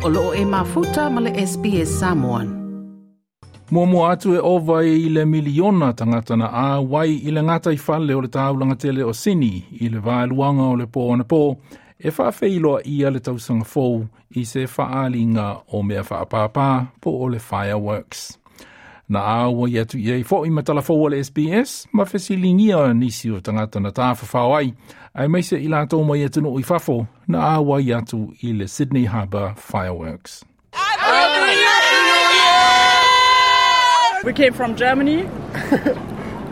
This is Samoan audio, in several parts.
O loo e mafuta ma le SBS Samoan. Muamua atu e ova i le miliona tagata na auai i le gataifale o le taulaga tele o Sini i le vaeluaga o le pō anapō e faafeiloaia le tausaga fou i se faaaliga o mea faapāpā po o le fireworks. Na auai atu i ai foi ma talafou a le SBS ma fesiligia nisi o tagata na tafafao ai, aemaise i latou mai atunuu i fafo na auai atu i le Sydney Harbour Fireworks. We came from Germany.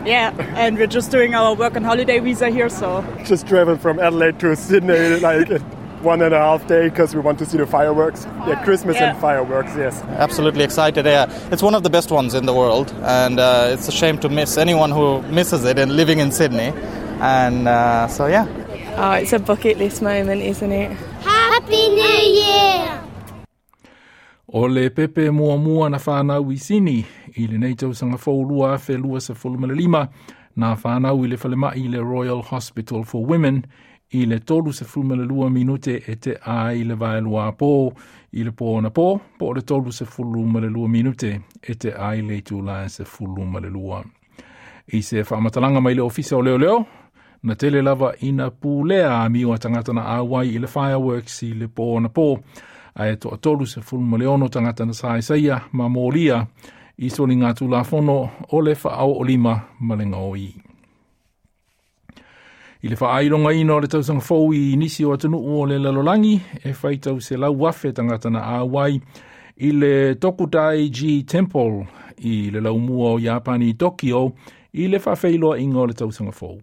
Yeah, and we're just doing our work and holiday visa here, so. Just traveled from Adelaide to Sydney like 1.5 day because we want to see the fireworks. Yeah, Christmas and fireworks, yes. Absolutely excited, yeah. It's one of the best ones in the world, and it's a shame to miss anyone who misses it and living in Sydney. And so, yeah. Oh, it's a bucket list moment, isn't it? Happy New Year! O le pepe muamua na whanau i Sini i lenei tausaga fou 2025 na whanau i le falemai i le Royal Hospital for Women i le 32 minute e te a i le vaelua pō i le pō na pō, po o le 32 minute e te a i le itula e 12. I se whaamatalaga mai le ofisa o leo leo, na tele lava ina pulea amio a tagata na auai i le fireworks i le pō na pō, ae 36 tagata na saesaia ma molia i soliga tulafono o le faaoolima ma le gaoi. I le faailogaina o le tausaga fou i nisi o atunuu o le lalolagi e faitau 100,000 tagata na auai i le Tokudaiji Temple i le laumua o Iapani i Tokyo i le faafeiloaiga o le tausaga fou.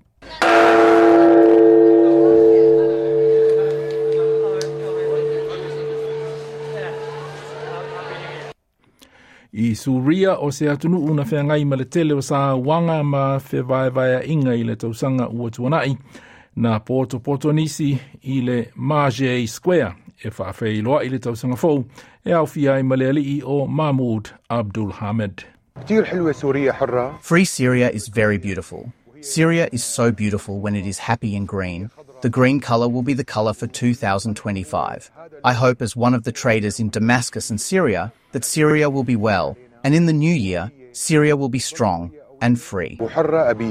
I Suria o se atunuu na feagai ma le tele o sauaga ma fevaevaeaiga i le tausaga ua tuanai na potopoto nisi i le Marjeh Square e faafeiloai le tausaga fou e aofia ai ma le alii o Mahmoud Abdul Hamid. Free Syria is very beautiful. Syria is so beautiful when it is happy and green. The green colour will be the colour for 2025. I hope as one of the traders in Damascus and Syria that Syria will be well, and in the new year, Syria will be strong and free. I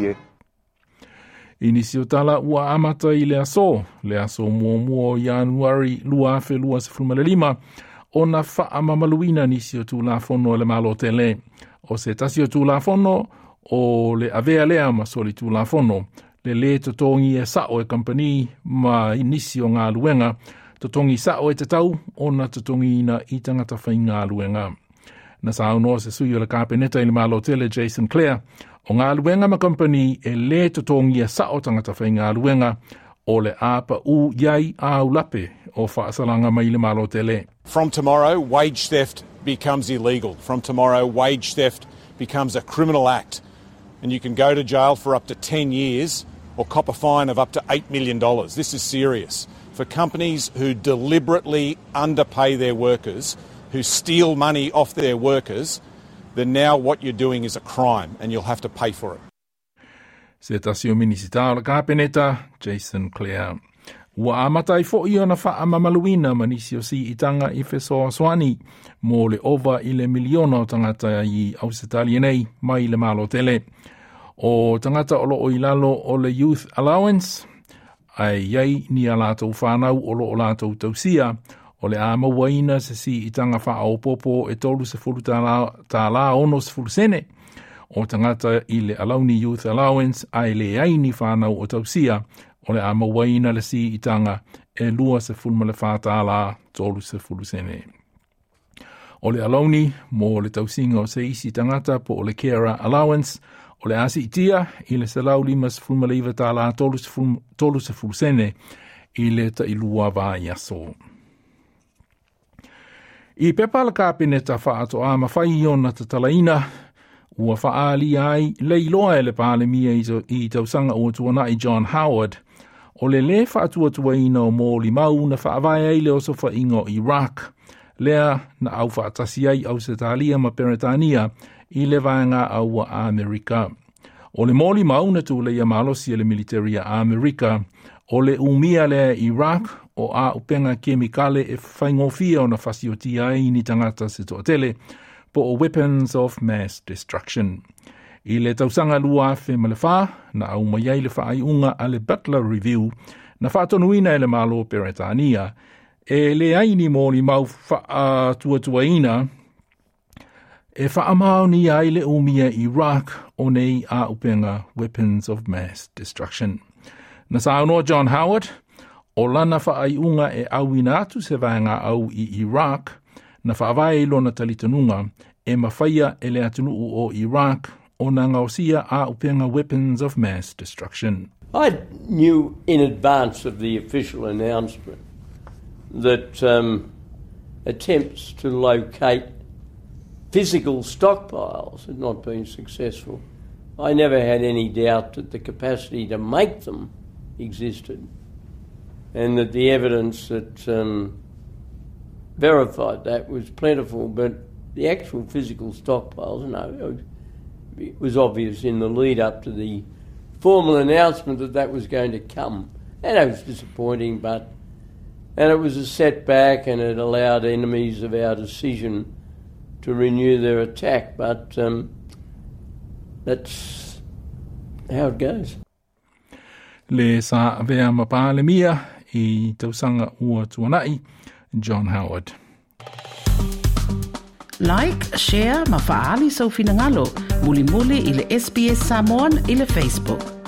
nisi o tala ua amata i le aso muamua o Ianuari 2025, ona faamamaluina nisi o tulafono a le Malo tele. O se tasi o tulafono o le avea lea ma soli tulafono, le lē totogi e sao e kampani ma nisi o galuega, totogi sao e tatau ona totogiina i tagata faigaluega. Na saunoa se sui o le kapeneta i le Malo tele Jason Clare, o galuega ma kampani e lē totogia sao tagata faigaluega o le a pa'ū i ai aulape o faasalaga mai le Malo tele. From tomorrow, wage theft becomes illegal. From tomorrow, wage theft becomes a criminal act. And you can go to jail for up to 10 years or cop a fine of up to $8 million. This is serious. For companies who deliberately underpay their workers, who steal money off their workers, then now what you're doing is a crime and you'll have to pay for it. Se tasi o minisita o le kapeneta, Jason Clare. Ua amata ai fo'i ona faamamaluina ma nisi o siitaga i fesoasoani mo le ova i le miliona o tagata i Ausetalia nei mai le Malo tele. O tagata o loo i lalo o le Youth Allowance, ae iai ni a latou whanau o loo latou tausia, o le a mauaina se siitaga faaopoopo e $30 ta 60 sene. O tagata i le Alauni Youth Allowance ae leai ni whanau o tausia, o le a mauaina le siitaga e $24 ta 30 sene. O le alauni mo le tausiga o se isi tagata po o le Carer Allowance, o le a siitia i le $159 ta 30 sene i le tailua vaiaso. I pepa le kapeneta faatoa mafai ona tatalaina, ua faaalia ai le iloa e le Palemia i tausaga ua tuanai John Howard, o le lē faatuatuaina o molimau na faavae ai le osofaiga o Iraq, lea na aufaatasi ai Ausetalia ma Peretania i le vaega aua Amerika. O le molimau na tuleia malosi e le militeri a Amerika, O le umia lea e Iraq o a'upega kemikale e faigofie ona fasiotia ai ni tagata se toatele, po o weapons of mass destruction. I le tausaga 2004, na aumai ai le faaiuga a le Butler Review, na faatonuina e le Malo Peretania, e leai ni molimau faatuatuaina e faamaonia ai le umia Iraq o nei a'upega weapons of mass destruction. Na saunoa John Howard, o lana faaiuga e auina atu se vaega'au i Iraq, na faavae i lona talitonuga e mafaia e le atunuu o Iraq ona gaosia a'upega weapons of mass destruction. I knew in advance of the official announcement that attempts to locate physical stockpiles had not been successful. I never had any doubt that the capacity to make them existed, and that the evidence that verified that was plentiful, but the actual physical stockpiles, no, it was obvious in the lead up to the formal announcement that that was going to come. And it was disappointing, and it was a setback, and it allowed enemies of our decision to renew their attack, but that's how it goes. Le sa avea ma Palemia i tausaga ua tuana'i, John Howard. Like, share ma faaali sou finagalo. Mulimuli i le SBS Samoan i le Facebook.